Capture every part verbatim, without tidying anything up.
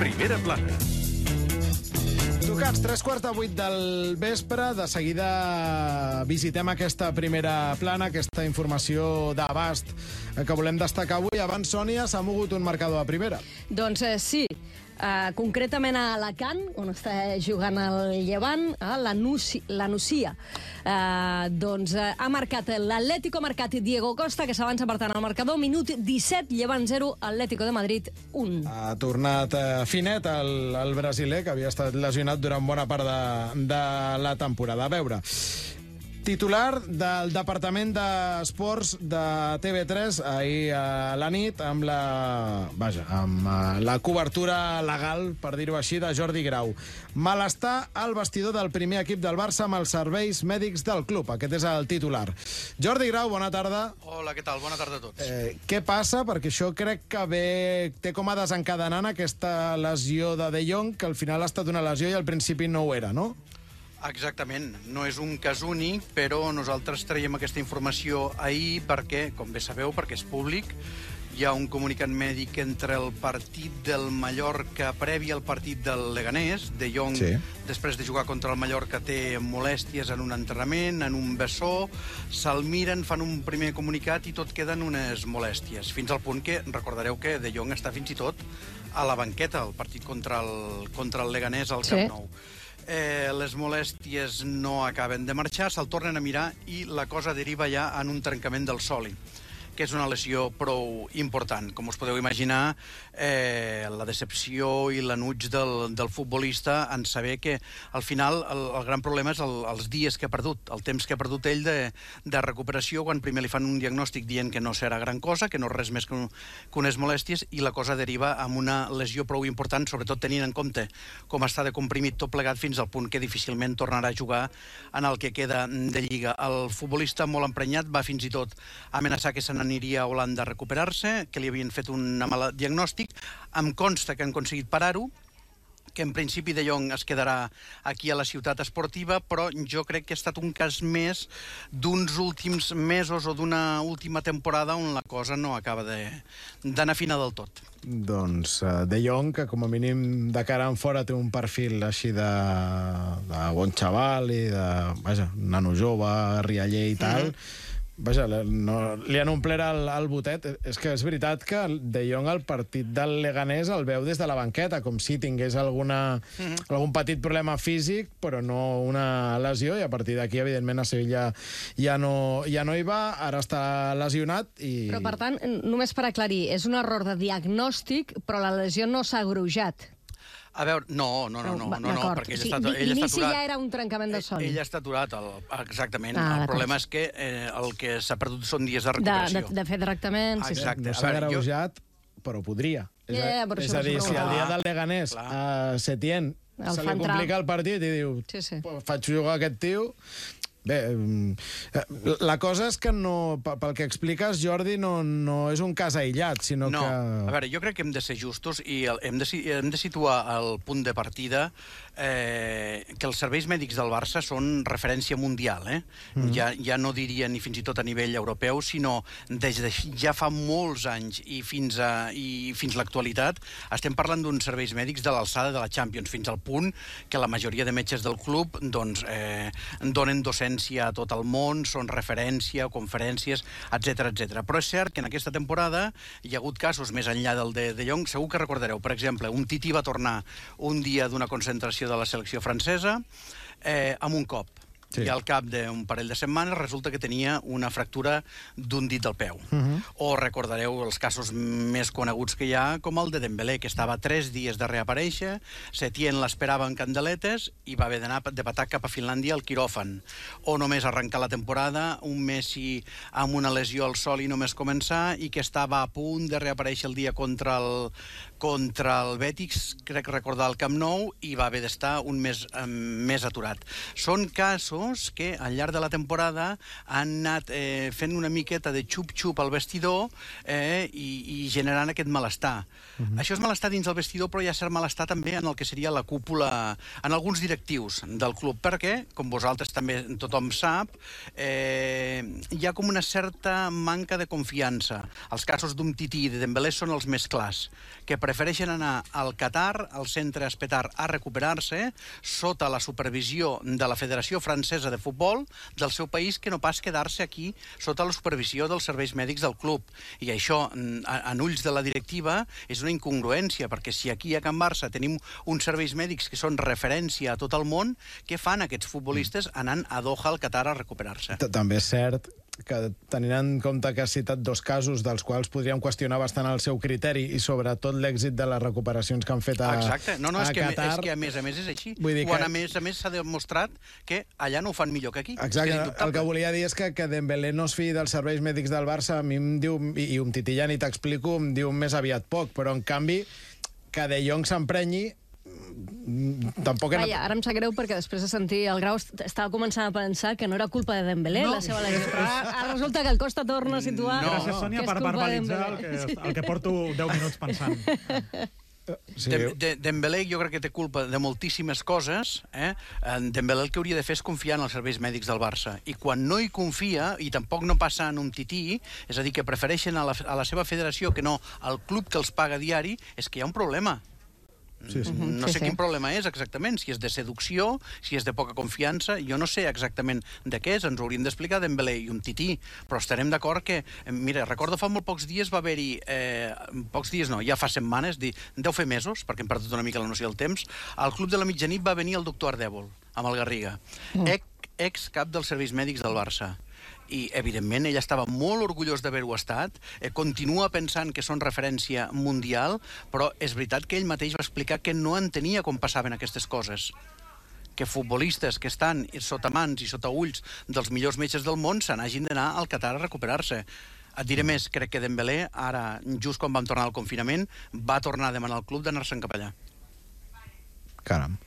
Primera plana. Tocats, tres quarts de vuit del vespre. De seguida visitem aquesta primera plana, aquesta informació d'abast que volem destacar avui. Abans, Sònia, s'ha mogut un marcador a primera. Doncs eh, sí. Uh, concretament a Alacant, on està jugant el Llevant, uh, la, Nuci, la Nucia. Uh, doncs uh, ha marcat l'Atlético, ha marcat Diego Costa, que s'avança per tant al marcador. Minut disset, Llevant zero, Atlético de Madrid un. Ha tornat uh, finet el, el brasiler, que havia estat lesionat durant bona part de, de la temporada. A veure, titular del Departament d'Esports de T V tres ahir a la nit amb la, vaja, amb la cobertura legal, per dir-ho així, de Jordi Grau. Malestar al vestidor del primer equip del Barça amb els serveis mèdics del club. Aquest és el titular. Jordi Grau, bona tarda. Hola, què tal? Bona tarda a tots. Eh, què passa? Perquè això crec que ve, té com a desencadenant aquesta lesió de De Jong, que al final ha estat una lesió i al principi no ho era, no? Exactament. No és un cas únic, però nosaltres traiem aquesta informació ahir perquè, com bé sabeu, perquè és públic, hi ha un comunicat mèdic entre el partit del Mallorca previ al partit del Leganés. De Jong, sí, després de jugar contra el Mallorca, té molèsties en un entrenament, en un bessó, se'l miren, fan un primer comunicat i tot queden unes molèsties, fins al punt que recordareu que De Jong està fins i tot a la banqueta, el partit contra el, contra el Leganés al Camp Nou. Eh, les molèsties no acaben de marxar, se'l tornen a mirar i la cosa deriva ja en un trencament del sòlid, que és una lesió prou important. Com us podeu imaginar, eh, la decepció i l'enuig del, del futbolista en saber que, al final, el, el gran problema és el, els dies que ha perdut, el temps que ha perdut ell de, de recuperació, quan primer li fan un diagnòstic dient que no serà gran cosa, que no és res més que, un, que unes molèsties, i la cosa deriva en una lesió prou important, sobretot tenint en compte com està de comprimit tot plegat fins al punt que difícilment tornarà a jugar en el que queda de Lliga. El futbolista, molt emprenyat, va fins i tot amenaçar que se n'aniria a Holanda a recuperar-se, que li havien fet un mal diagnòstic. Em consta que han aconseguit parar-ho, que en principi De Jong es quedarà aquí a la ciutat esportiva, però jo crec que ha estat un cas més d'uns últims mesos o d'una última temporada on la cosa no acaba d'anar fina del tot. Doncs uh, De Jong, que com a mínim de cara en fora té un perfil així de, de bon xaval i de, vaja, nano jove, rialler i tal, mm-hmm. Vaja, no, li han omplert el, el botet. És que és veritat que De Jong al partit del Leganés el veu des de la banqueta, com si tingués alguna, mm-hmm. algun petit problema físic, però no una lesió, i a partir d'aquí, evidentment, a Sevilla ja no, ja no hi va, ara està lesionat i... Però, per tant, només per aclarir, és un error de diagnòstic, però la lesió no s'ha agreujat. A veure, no, no, no, no, no, no perquè ell sí, està, ell està aturat. L'inici ja era un trencament de son. Ell està aturat, el, exactament. Ah, el problema és que eh, el que s'ha perdut són dies de recuperació. De, de, de fer tractament, sí. Exacte. No s'ha agreujat, jo... però podria. És, yeah, a, és a dir, si el dia del Leganés a Setién se li complica el partit i diu, sí, sí. faig jugar aquest tio... Bé, la cosa és que no, pel que expliques, Jordi, no, no és un cas aïllat, sinó no. que... A veure, jo crec que hem de ser justos i hem de, hem de situar el punt de partida eh, que els serveis mèdics del Barça són referència mundial, eh? Mm. Ja, ja no diria ni fins i tot a nivell europeu, sinó des de ja fa molts anys i fins a i fins l'actualitat estem parlant d'uns serveis mèdics de l'alçada de la Champions, fins al punt que la majoria de metges del club doncs, eh, donen docència a tot el món, són referència, conferències, etcètera, etcètera. Però és cert que en aquesta temporada hi ha hagut casos més enllà del de De Jong. Segur que recordareu, per exemple, un Titi va tornar un dia d'una concentració de la selecció francesa eh, amb un cop. Sí. I al cap d'un parell de setmanes resulta que tenia una fractura d'un dit del peu. Uh-huh. O recordareu els casos més coneguts que hi ha, com el de Dembélé, que estava tres dies de reaparèixer, Setién l'esperava en candeletes i va haver d'anar de patar cap a Finlàndia al quiròfan. O només arrencar la temporada, un Messi amb una lesió al sol i només començar, i que estava a punt de reaparèixer el dia contra el, contra el Betis, crec recordar, al Camp Nou, i va haver d'estar un mes eh, més aturat. Són casos casos que al llarg de la temporada han anat eh, fent una miqueta de xup-xup al vestidor eh, i, i generant aquest malestar. Uh-huh. Això és malestar dins el vestidor, però hi ha cert malestar també en el que seria la cúpula, en alguns directius del club, perquè, com vosaltres també tothom sap, eh, hi ha com una certa manca de confiança. Els casos d'Umtiti i de Dembélé són els més clars, que prefereixen anar al Qatar, al centre Espetar, a recuperar-se sota la supervisió de la Federació Francesa de Futbol del seu país, que no pas quedar-se aquí sota la supervisió dels serveis mèdics del club. I això, en ulls de la directiva, és una incongruència, perquè si aquí a Can Barça tenim uns serveis mèdics que són referència a tot el món, què fan aquests futbolistes anant a Doha, al Qatar, a recuperar-se? També és cert que, tenint en compte que has citat dos casos dels quals podríem qüestionar bastant el seu criteri i sobretot l'èxit de les recuperacions que han fet a, Exacte. No, no, a és que, Qatar... És que a més a més és així. Vull dir Quan que... a més a més s'ha demostrat que allà no ho fan millor que aquí. Exacte. Que el que volia dir és que, que Dembélé no es fiï dels serveis mèdics del Barça, a mi em diu, i, i un Titi ja ni t'explico, em diu més aviat poc, però en canvi que De Jong s'emprenyi tampoc... Vaja, ara em sap greu perquè després de sentir el Grau estava començant a pensar que no era culpa de Dembélé, no, la seva lesió. Però ara resulta que el Costa torna a situar... No. Gràcies, Sònia, per verbalitzar el que, el que porto deu minuts pensant. Sí. De, de, Dembélé jo crec que té culpa de moltíssimes coses. Eh? Dembélé el que hauria de fer és confiar en els serveis mèdics del Barça. I quan no hi confia, i tampoc no passa en un tití, és a dir, que prefereixen a la, a la seva federació que no al club que els paga diari, és que hi ha un problema. Sí, sí. No sí, sé sí. quin problema és exactament, si és de seducció, si és de poca confiança, jo no sé exactament de què és, ens ho hauríem d'explicar Dembélé i un tití, però estarem d'acord que, mira, recordo fa molt pocs dies va haver-hi, eh, pocs dies no, ja fa setmanes, dir, deu fer mesos, perquè hem perdut una mica la noció del temps, al Club de la Mitjanit va venir el doctor Ardèvol, amb el Garriga, mm. ex cap dels serveis mèdics del Barça. I, evidentment, ell estava molt orgullós d'haver-ho estat, eh, continua pensant que són referència mundial, però és veritat que ell mateix va explicar que no entenia com passaven aquestes coses. Que futbolistes que estan sota mans i sota ulls dels millors metges del món se n'hagin d'anar al Qatar a recuperar-se. Et diré més, crec que Dembélé, ara, just quan vam tornar al confinament, va tornar a demanar al club d'anar-se'n cap allà. Caram,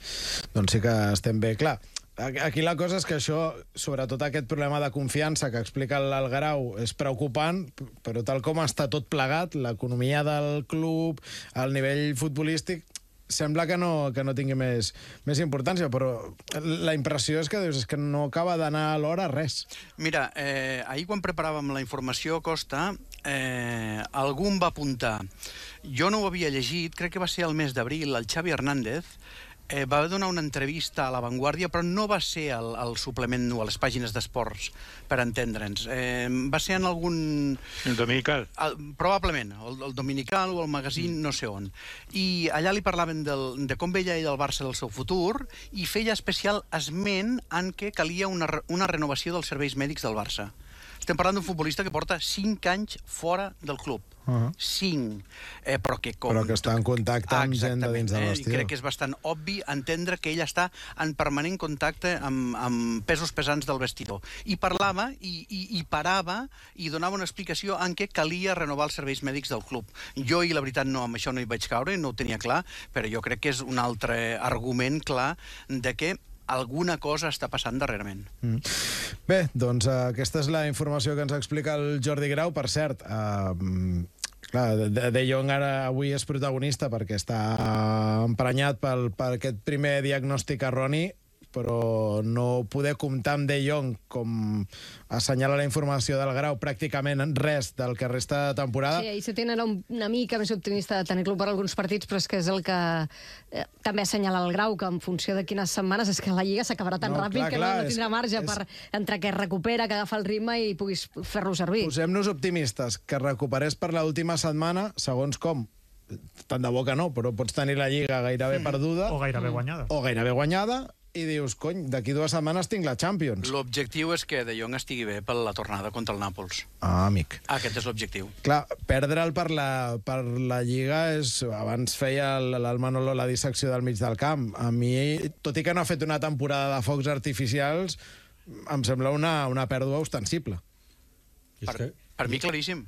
doncs sí que estem bé. Clar, aquí la cosa és que això, sobretot aquest problema de confiança que explica el Grau, és preocupant, però tal com està tot plegat, l'economia del club, el nivell futbolístic, sembla que no, que no tingui més, més importància, però la impressió és que dius, és que no acaba d'anar a l'hora res. Mira, eh, ahir quan preparàvem la informació, Costa, eh, algú em va apuntar. Jo no ho havia llegit, crec que va ser el mes d'abril, el Xavi Hernández, Eh, va donar una entrevista a La Vanguardia, però no va ser al, al suplement o a les pàgines d'esports, per entendre'ns. Eh, va ser en algun... El dominical. El, probablement, el, el dominical o el magazín, no sé on. I allà li parlaven del, de com veia ell el Barça del seu futur i feia especial esment en què calia una, una renovació dels serveis mèdics del Barça. Estem parlant d'un futbolista que porta cinc anys fora del club. Uh-huh. cinc. Eh, però, que com... però que està en contacte amb gent de dins del eh? vestidor. Crec que és bastant obvi entendre que ell està en permanent contacte amb, amb pesos pesants del vestidor. I parlava i, i, i parava i donava una explicació en què calia renovar els serveis mèdics del club. Jo, i la veritat, no, amb això no hi vaig caure, no ho tenia clar, però jo crec que és un altre argument clar de que alguna cosa està passant darrerament. Mm. Bé, doncs uh, aquesta és la informació que ens explica el Jordi Grau. Per cert, uh, clar, De, De Jong ara avui és protagonista perquè està emprenyat pel, per aquest primer diagnòstic erroni, però no poder comptar amb De Jong, com assenyala la informació del Grau, pràcticament res del que resta de temporada. Sí, i se tenen una mica més optimista de tenir-lo per alguns partits, però és que és el que eh, també assenyala el Grau, que en funció de quines setmanes és que la Lliga s'acabarà tan no, ràpid clar, que clar, no, no tindrà marge és, per entre que es recupera, que agafa el ritme i puguis fer-lo servir. Posem-nos optimistes, que recuperés per l'última setmana, segons com, tant de bo que no, però pots tenir la Lliga gairebé mm. perduda. O gairebé guanyada. O gairebé guanyada, i dius, cony, d'aquí dues setmanes tinc la Champions. L'objectiu és que De Jong estigui bé per la tornada contra el Nàpols. Ah, amic. Aquest és l'objectiu. Clar, perdre'l per la, per la Lliga és... Abans feia el, el Manolo la dissecció del mig del camp. A mi, tot i que no ha fet una temporada de focs artificials, em sembla una, una pèrdua ostensible. Per, per mi, claríssim.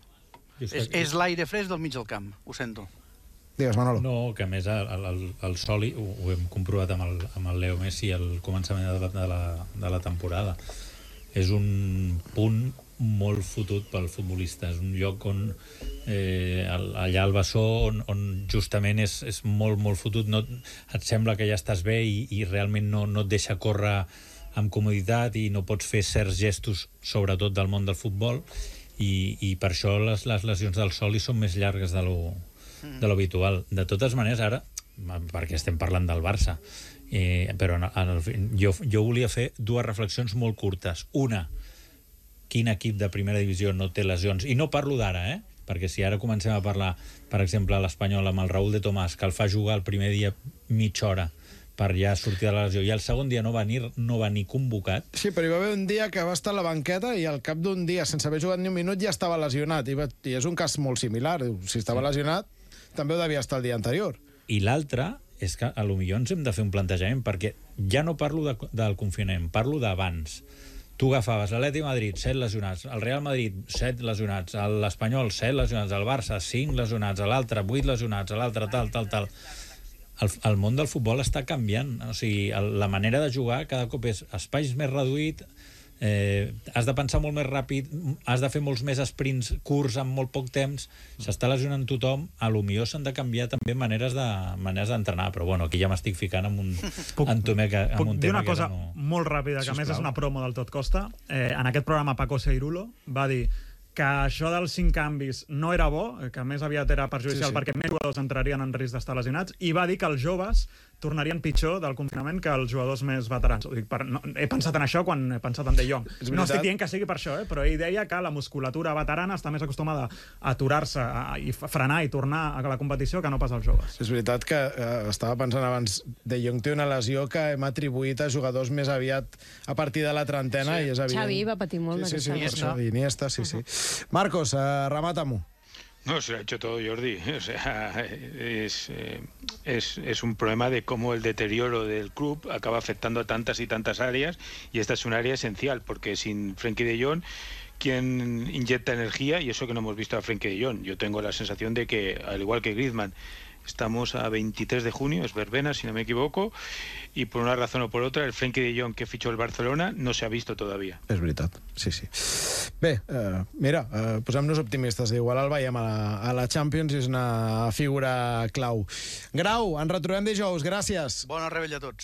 És, és l'aire fresc del mig del camp, ho sento. Digues, Manolo. No, que a més el, el, el Soli, ho, ho hem comprovat amb el, amb el Leo Messi al començament de la, de, la, de la temporada, és un punt molt fotut pel futbolista. És un lloc on eh, allà al Bessó on, on justament és, és molt, molt fotut. No, et sembla que ja estàs bé i, i realment no, no et deixa córrer amb comoditat i no pots fer certs gestos, sobretot del món del futbol, i, i per això les, les lesions del Soli són més llargues de lo, de lo habitual. De totes maneres, ara, perquè estem parlant del Barça, eh, però en, en, jo, jo volia fer dues reflexions molt curtes. Una, quin equip de primera divisió no té lesions? I no parlo d'ara, eh? Perquè si ara comencem a parlar, per exemple, a l'Espanyol amb el Raúl de Tomàs, que el fa jugar el primer dia mitja hora per ja sortir de la lesió, i el segon dia no va ni, no va ni convocat. Sí, però hi va haver un dia que va estar a la banqueta i al cap d'un dia, sense haver jugat ni un minut, ja estava lesionat. I, va, i és un cas molt similar. Si estava sí. lesionat, també ho devia estar el dia anterior. I l'altre és que a lo millor ens hem de fer un plantejament, perquè ja no parlo de, del confinament, parlo d'abans. Tu agafaves l'Atlètic Madrid, set lesionats, el Real Madrid, set lesionats, l'Espanyol, set lesionats, el Barça, cinc lesionats, l'altre, vuit lesionats, l'altre, tal, tal, tal. El, el món del futbol està canviant. O sigui, el, la manera de jugar cada cop és espais més reduït, eh, has de pensar molt més ràpid, has de fer molts més sprints curts en molt poc temps, s'està lesionant tothom, a lo millor s'han de canviar també maneres de maneres d'entrenar, però bueno, aquí ja m'estic ficant amb un, puc, en tema que, amb puc un dir tema una cosa no... molt ràpida, que a més és una promo del Tot Costa. Eh, en aquest programa Paco Seirulo va dir que això dels cinc canvis no era bo, que més aviat era perjudicial sí, sí. perquè més jugadors entrarien en risc d'estar lesionats, i va dir que els joves tornarien pitjor del confinament que els jugadors més veterans. Ho dic per, no, he pensat en això quan he pensat en De Jong. No estic dient que sigui per això, eh, però ell deia que la musculatura veterana està més acostumada a aturar-se a, i frenar i tornar a la competició que no pas als joves. És veritat que eh, estava pensant abans, De Jong té una lesió que hem atribuït a jugadors més aviat a partir de la trentena, sí. i és evident. Xavi va patir molt. Sí, sí, sí, Iniesta. Iniesta, sí, sí. Marcos, eh, remata-m'ho. No, se lo ha hecho todo Jordi. O sea, es, eh, es, es un problema de cómo el deterioro del club acaba afectando a tantas y tantas áreas, y esta es un área esencial, porque sin Frenkie de Jong, ¿quién inyecta energía? Y eso que no hemos visto a Frenkie de Jong. Yo tengo la sensación de que, al igual que Griezmann, estamos a veintitrés de junio, es verbena, si no me equivoco, y por una razón o por otra, el Frenkie de Jong que fichó el Barcelona no se ha visto todavía. És veritat, sí, sí. Bé, eh, mira, eh, posem-nos optimistes. Igual el veiem a la, a la Champions i és una figura clau. Grau, ens retrobem dijous. Gràcies. Bona rebella a tots.